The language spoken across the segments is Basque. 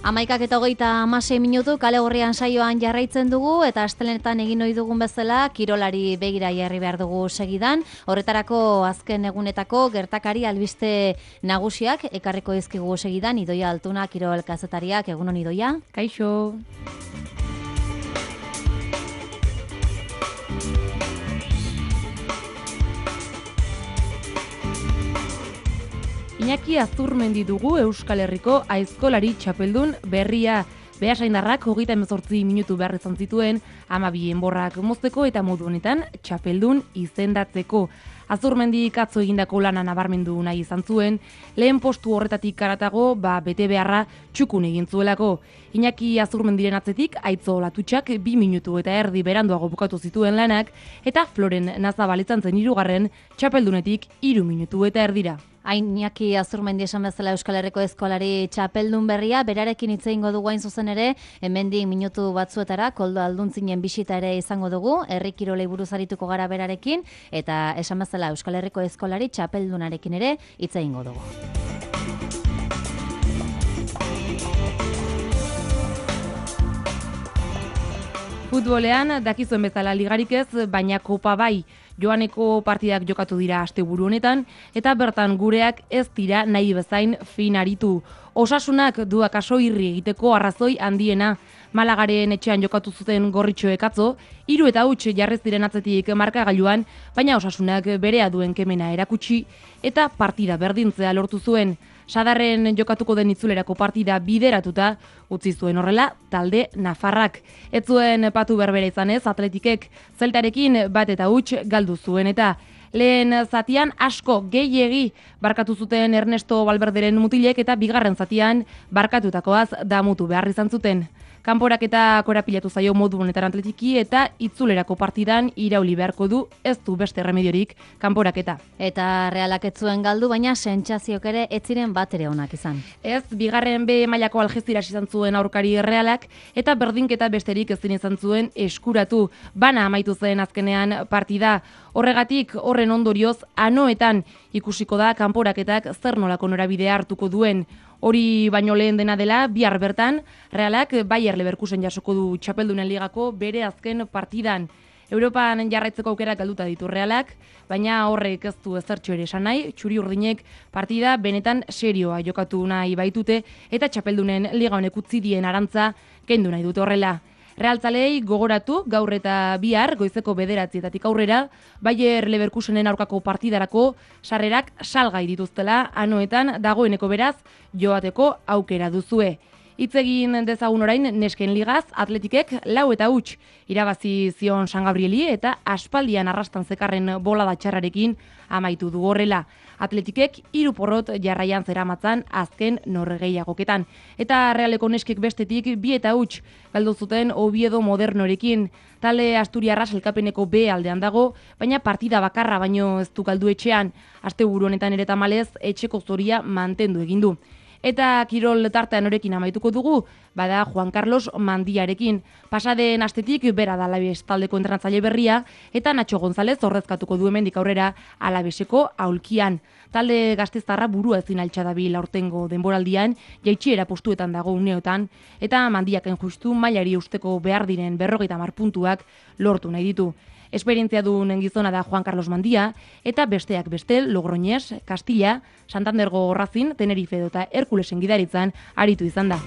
11:26 kale gorrian saioan jarraitzen dugu eta astelenetan egin ohi dugun bezala kirolari begira jarri behar dugu segidan. Horretarako azken egunetako gertakari albiste nagusiak ekarriko dizkigu segidan. Idoia Altuna kirol kazetariak, egunon Idoia. Kaixo. Iñaki Azurmendi dugu Euskal Herriko aizkolari txapeldun berria. Beasaindarrak 38 minutu behar izan zituen 12 enborrak mozteko eta modu honetan txapeldun izendatzeko. Azurmendik atzo egindako lana nabarmendu nahi izan zuen, lehen postu horretatik karatago, bete beharra txukun egin zuelako. Iñaki Azurmendiren atzetik Aitzo Latutxak 2 minutu eta erdi beranduago bukatu zituen lanak, eta Floren Nazabal izan zen 3. txapeldunetik 3 minutu eta erdira. Iñaki Azurmendi esan bezala Euskal Herriko eskolari txapeldun berria, berarekin hitz egingo dugu hain zuzen ere, hemendik minutu batzuetara, Koldo Alduntzinen bisita ere izango dugu, herri kirolei buruz arituko gara berarekin, eta esan bezala Euskal Herriko eskolari txapeldunarekin ere hitz egingo dugu. Futbolean dakizuen bezala ligarik ez, baina kopa bai. Joaneko partidak jokatu dira asteburu honetan, eta bertan gureak ez dira nahi bezain fin aritu. Osasunak du akaso irri egiteko arrazoi handiena. Malagaren etxean jokatu zuten gorritxoek atzo, 3-0 jarrez diren atzetik markagailuan, baina osasunak berea duen kemena erakutsi, eta partida berdintzea lortu zuen. Sadarren jokatuko den itzulerako partida bideratuta utzi zuen horrela talde nafarrak. Ez zuen patu berbera izanez Atletikek Zeltarekin 1-0 galdu zuen eta lehen zatian asko gehiegi barkatu zuten Ernesto Valverderen mutilek eta bigarren zatian barkatutakoaz damutu behar izan zuten. Kanporaketa korapilatu zaio modu honetan Atletiki eta itzulerako partidan irauli beharko du, ez du beste remediorik kanporaketa. Eta Realak ez zuen galdu, baina sentsazioak ere ez ziren batere onak izan. Ez, bigarren B mailako Algeciras izan zuen aurkari Realak eta berdinketa besterik ezin izan zuen eskuratu. Bana amaitu zen azkenean partida. Horregatik, horren ondorioz, anoetan ikusiko da kanporaketak zer nolako norabidea hartuko duen. Hori baino lehen dena dela, bihar bertan, Realak Bayer Leverkusen jasoko du txapeldunen ligako bere azken partidan. Europan jarraitzeko aukerak galduta ditu Realak, baina horrek ez du ezertxo ere esan nahi, txuri-urdinek partida benetan serioa jokatu nahi baitute, eta txapeldunen liga honek utzi dien arantza kendu nahi dute horrela. Realtzalei gogoratu gaur eta bihar goizeko 9:00 aurrera Bayer Leverkusenen aurkako partidarako sarrerak salgai dituztela, anoetan dagoeneko beraz joateko aukera duzue. Hitz egin dezagun orain nesken ligaz, Atletikek 4-0 irabazi zion San Gabrieli eta aspaldian arrastan zekarren bolada txarrarekin amaitu du horrela. Atletikek 3 porrot jarraian zeramatzan azken norgehiagoketan. Eta Realeko neskek bestetik 2-0 galdu zuten Oviedo Modernorekin. Talde Asturiarra sailkapeneko B aldean dago, baina partida bakarra baino ez du galdu etxean. Asteburu honetan ere tamalez etxeko zoria mantendu egin du. Eta kirol tartean horekin amaituko dugu, bada Juan Carlos Mandiarekin. Pasaden astetik bera da Alabes taldeko entrenatzaile berria, eta Nacho González ordezkatuko du hemendik aurrera Alabeseko aulkian. Talde gazteztarra burua ezin altxa dabil aurtengo denboraldian, jaitsiera postuetan dago uneotan, eta Mandiaken justu mailari usteko behar diren 50 puntuak lortu nahi ditu. Esperientzia duen gizona da Juan Carlos Mandia, eta besteak beste Logroñez, Castilla, Santandergo Racing, Tenerife eta Herkulesen gidaritzan aritu izan da.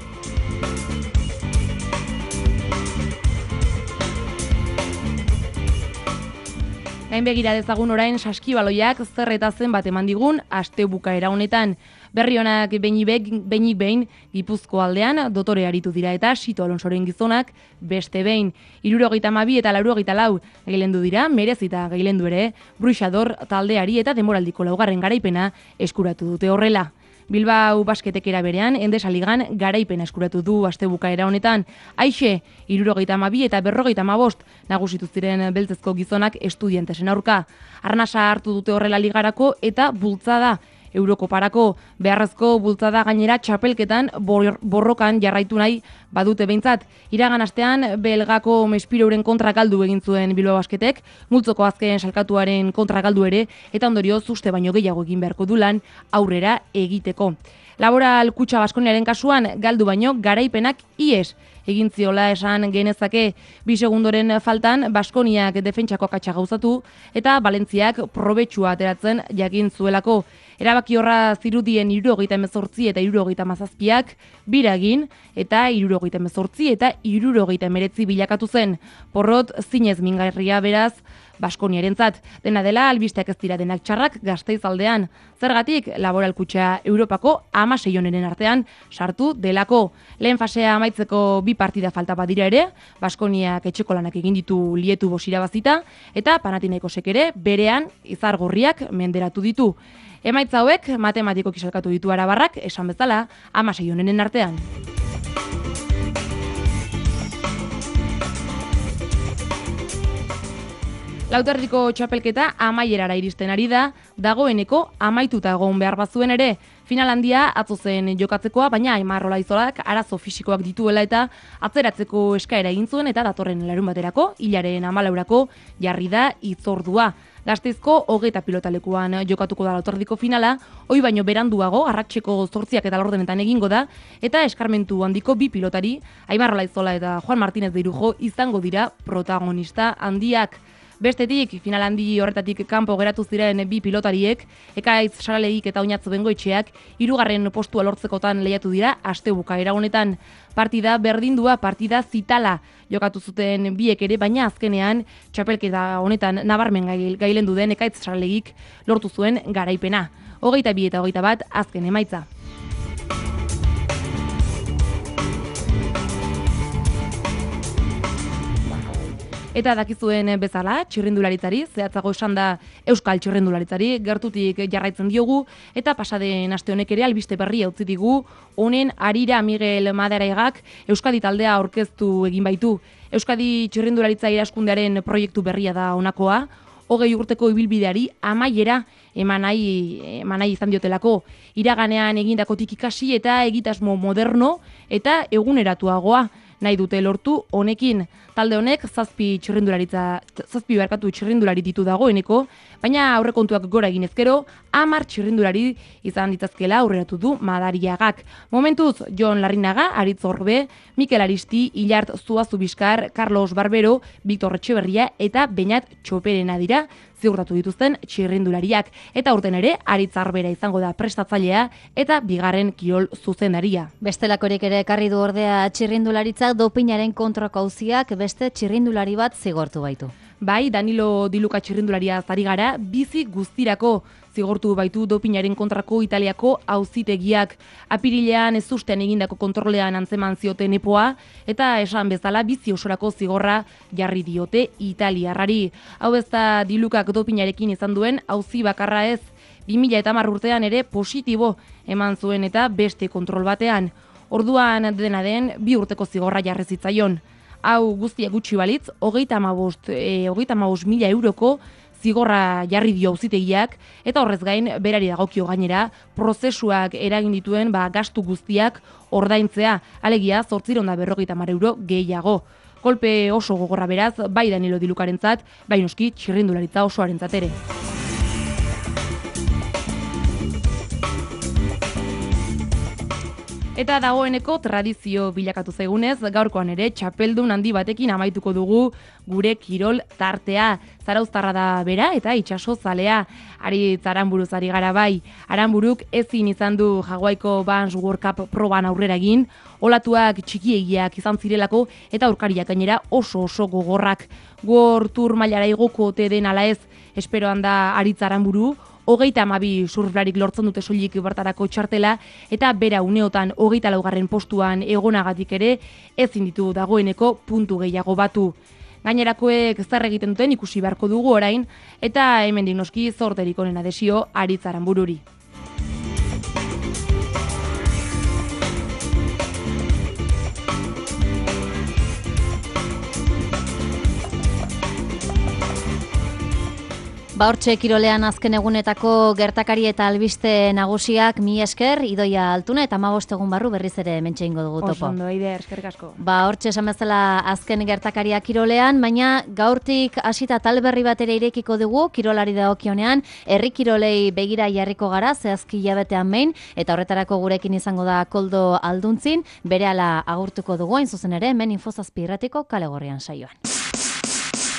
Gain begira dezagun orain saskibaloiak zer eta zenbat eman digun astebukaera honetan. Berri honak behinik behin Gipuzko aldean dotore aritu dira eta Sito Alonsoren gizonak beste behin. 72 eta 84 gailendu dira, merezita gailendu ere, Bruixador taldeari eta denboraldiko 2. garaipena eskuratu dute horrela. Bilbao basketekera berean, Endesa Ligan garaipena eskuratu du astebukaera honetan. Aixe, 72 eta 55 nagusitu ziren beltzezko gizonak estudiantesen aurka. Arnasa hartu dute horrela ligarako eta bultzada. Eurokoparako beharrezko bultzada gainera txapelketan borrokan jarraitu nahi badute behintzat. Iragan astean belgako Mespirouren kontra galdu egin zuen Bilbao Basketek, multzoko azken salkatuaren kontra galdu ere, eta ondorioz uste baino gehiago egin beharko du lan aurrera egiteko. Laboral Kutxa Baskoniaren kasuan galdu baino garaipenak ies egin ziola esan genezake. 2 segundoren faltan Baskoniak defentsako akatsa gauzatu eta Valentziak probetxua ateratzen jakin zuelako. Erabaki horra zirudien 78 eta 77ak biragin eta 78 eta 79 bilakatu zen. Porrot zinez mingarria beraz Baskoniarentzat. Dena dela albisteak ez dira denak txarrak Gasteiz aldean. Zergatik Laboral Kutxa Europako 16 onenen artean sartu delako. Lehen fasea amaitzeko 2 partida falta badira ere, Baskoniak etxeko lanak egin ditu Lietu Bos irabazita eta Panathinaikosek ere berean izargorriak menderatu ditu. Emaitza hauek matematikoki salkatu ditu arabarrak, esan bezala, 16 onenen artean. Lauterriko txapelketa amaierara iristen ari da, dagoeneko amaituta egon behar bazuen ere. Final handia atzo zen jokatzekoa, baina Aimar Olaizolak arazo fisikoak dituela eta atzeratzeko eskaera egin zuen eta datorren larunbaterako, hilaren 14 jarri da hitzordua. Gasteizko 20 pilotalekuan jokatuko da Lauterriko finala, hoi baino beranduago, arratseko 8 eta laurdenetan egingo da, eta eskarmentu handiko 2 pilotari, Aimar Olaizola eta Juan Martínez de Irujo izango dira protagonista handiak. Bestetik, final handi horretatik kanpo geratu ziren 2 pilotariek, Ekaitz Saralegik eta Oñatzo Bengoetxeak 3. postua lortzekotan lehiatu dira astebukaera honetan. Partida berdindua, partida zitala jokatu zuten biek ere, baina azkenean txapelketa honetan nabarmen gailendu den Ekaitz Saralegik lortu zuen garaipena. 22 eta 21 azken emaitza. Eta dakizuen bezala, txirrindularitzari, zehatzago esan da Euskal txirrindularitzari, gertutik jarraitzen diogu, eta pasaden aste honek ere albiste berria utzi digu, honen harira Miguel Maderaigak Euskadi taldea aurkeztu egin baitu. Euskadi txirrindularitza iraskundearen proiektu berria da honakoa, 20 urteko ibilbideari amaiera eman nahi izan diotelako. Iraganean egindakotik ikasi eta egitasmo moderno eta eguneratuagoa nahi dute lortu honekin. Talde honek 7 txirrindulari ditu dagoeneko, baina aurrekontuak gora egin ezkero, 10 txirrindulari izan ditzazkela aurreratu du Madariagak. Momentuz, Jon Larrinaga, Aritz Orbe, Mikel Aristi, Ilart Zuazubiskar, Carlos Barbero, Victor Etxeberria eta Beñat Txoperena dira ziurtatu dituzten txirrindulariak. Eta urten ere, Aritz Arbera izango da prestatzailea eta bigarren kirol zuzendaria. Bestelakorek ere ekarri du ordea txirrindularitzak dopinaren kontrako auziak beste txirrindulari bat zigortu baitu. Bai, Danilo Diluka txirrindularia zari gara, bizi guztirako zigortu baitu dopinaren kontrako Italiako auzitegiak. Apirilean ez ustean egindako kontrolean antzeman zioten epoa, eta esan bezala bizi osorako zigorra jarri diote italiarrari. Hau ez da Dilukak dopinarekin izan duen auzi bakarra ez, 2010 urtean ere positibo eman zuen eta beste kontrol batean. Orduan dena den 2 urteko zigorra jarri zitzaion. Hau guztia gutxi balitz, 35.000 euroko zigorra jarri dio auzitegiak eta horrez gain berari dagokio gainera prozesuak eragin dituen gastu guztiak ordaintzea, alegia 850 euro gehiago. Kolpe oso gogorra beraz, bai Danilo Dilukarentzat, bai noski txirrindularitza osoarentzat ere. Eta dagoeneko tradizio bilakatu zaigunez, gaurkoan ere txapeldun handi batekin amaituko dugu gure kirol tartea. Zarauztarra da bera eta itsaso zalea. Aritz Aranburuz ari gara bai. Aranburuk ezin izan du Hawaiko Vans World Cup proban aurrera egin, olatuak txikiegiak izan zirelako eta aurkariak gainera oso gogorrak. World Tour mailara igoko ote den ala ez, esperoan da Aritz Aranburu, 32 surflarik lortzen dute soilik bertarako txartela eta bera uneotan 24. postuan egonagatik ere ezin ditu dagoeneko puntu gehiago batu. Gainerakoek zer egiten duten ikusi beharko dugu orain eta hemendik noski zorterik onena desio Aritz Aranbururi. Ba hortxe kirolean azken egunetako gertakari eta albiste nagusiak mi esker, Idoia Altuna eta 15 egun barru berriz ere hementxe ingo dugu topo. Oso ondo, Eider, eskerrik asko. Ba hortxe esan bezala azken gertakaria kirolean, baina gaurtik hasita tal berri bat ere irekiko dugu kirolari dagokionean, herri kirolei begira jarriko gara zehazki hilabetean behin, eta horretarako gurekin izango da Koldo Alduntzin, berehala agurtuko dugu hain zuzen ere hemen Info 7 irratiko Kale Gorrian saioan.